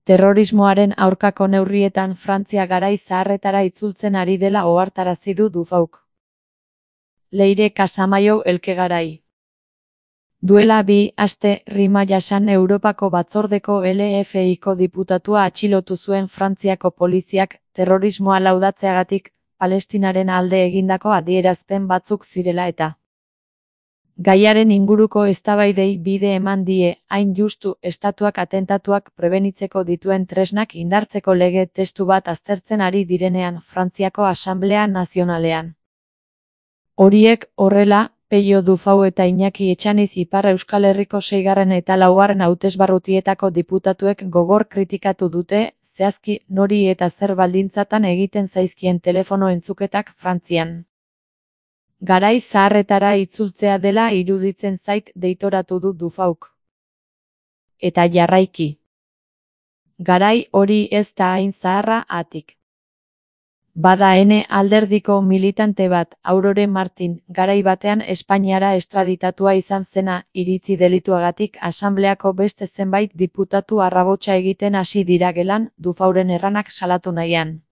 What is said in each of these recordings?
Terrorismoaren aurkako neurrietan Frantzia garai zaharretara itzultzen ari dela ohartarazi du Dufauk. Leire Casamaiu elkegarai. Duela 2 aste, Rima Jasan Europako Batzordeko LFIko diputatua atxilotu zuen Frantziako poliziak terrorismoa laudatzeagatik Palestinaren alde egindako adierazpen batzuk zirela eta. Gaiaren inguruko eztabaidei bide eman die, hain justu estatuak atentatuak prebenitzeko dituen tresnak indartzeko lege testu bat aztertzen ari direnean Frantziako Asanblea Nazionalean. Horiek horrela, Pello Dufau eta Iñaki Etxaniz Ipar Euskal Herriko 6. eta 4. hautesbarrutietako diputatuek gogor kritikatu dute, zehazki nori eta zer baldintzatan egiten zaizkien telefono entzuketak Frantzian. Garai zaharretara itzultzea dela iruditzen zait deitoratu du Dufauk. Eta jarraiki. Garai hori ez da hain zaharra atik. Bada ene alderdiko militante bat, Aurore Martin, garai batean Espainiara estraditatua izan zena, iritzi delituagatik asanbleako beste zenbait diputatu arrabotsa egiten hasi dira gelan, Dufauren erranak salatu nahian.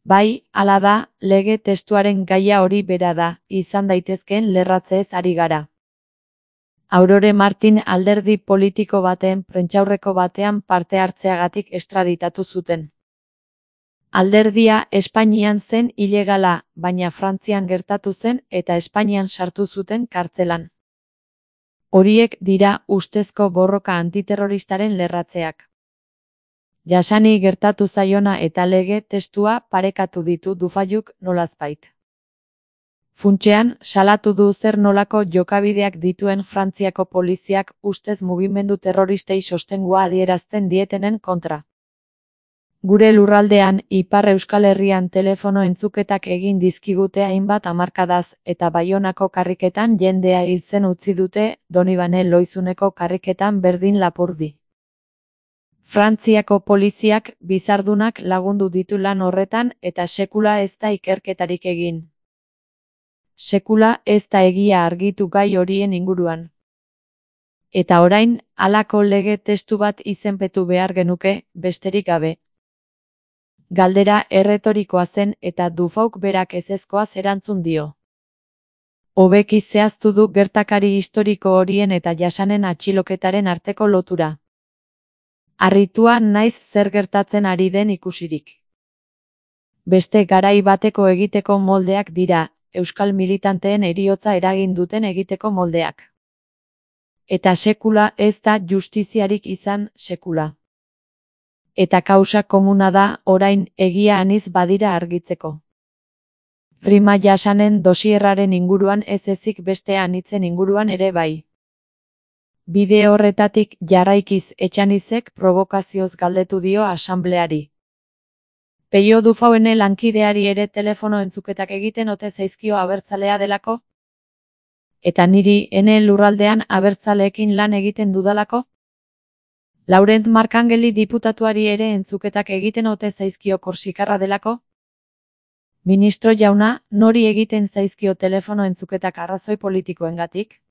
Bai, hala da, lege testuaren gaia hori bera da, izan daitezkeen lerratzeez ari gara. Aurore Martin alderdi politiko baten prentsaurreko batean parte hartzeagatik estraditatu zuten. Alderdia Espainian zen ilegala, baina Frantzian gertatu zen eta Espainian sartu zuten kartzelan. Horiek dira ustezko borroka antiterroristaren lerratzeak. Jasani gertatu zaiona eta lege testua parekatu ditu Dufaiuk nolazbait. Funtsean, salatu du zer nolako jokabideak dituen Frantziako poliziak ustez mugimendu terroristei sostengua adierazten dietenen kontra. Gure lurraldean, Ipar Euskal Herrian telefono entzuketak egin dizkigute hainbat hamarkadaz eta Baionako karriketan jendea hiltzen utzi dute, Donibane Loizuneko karriketan berdin lapurdi. Frantziako poliziak bizardunak lagundu ditu lan horretan eta sekula ez da ikerketarik egin. Sekula ez da egia argitu gai horien inguruan. Eta orain, halako lege testu bat izenpetu behar genuke, besterik gabe. Galdera erretorikoa zen eta Dufauk berak ezezkoaz erantzun dio. Hobeki zehaztu du gertakari historiko horien eta Jasanen atxiloketaren arteko lotura. Harritua naiz zer gertatzen ari den ikusirik. Beste garai bateko egiteko moldeak dira, euskal militanteen heriotza eragin duten egiteko moldeak. Eta sekula ez da justiziarik izan, sekula. Eta kausa komuna da, orain, egia aniz badira argitzeko. Rima Jasanen dosierraren inguruan ez ezik beste anitzen inguruan ere bai. Bide horretatik jarraikiz Etxanizek provokazioz galdetu dio asanbleari. Pello Dufauene lankideari ere telefono entzuketak egiten ote zaizkio abertzalea delako? Eta niri ene lurraldean abertzaleekin lan egiten dudalako? Laurent Markangeli diputatuari ere entzuketak egiten ote zaizkio korsikarra delako? Ministro jauna, nori egiten zaizkio telefono entzuketak arrazoi politikoengatik?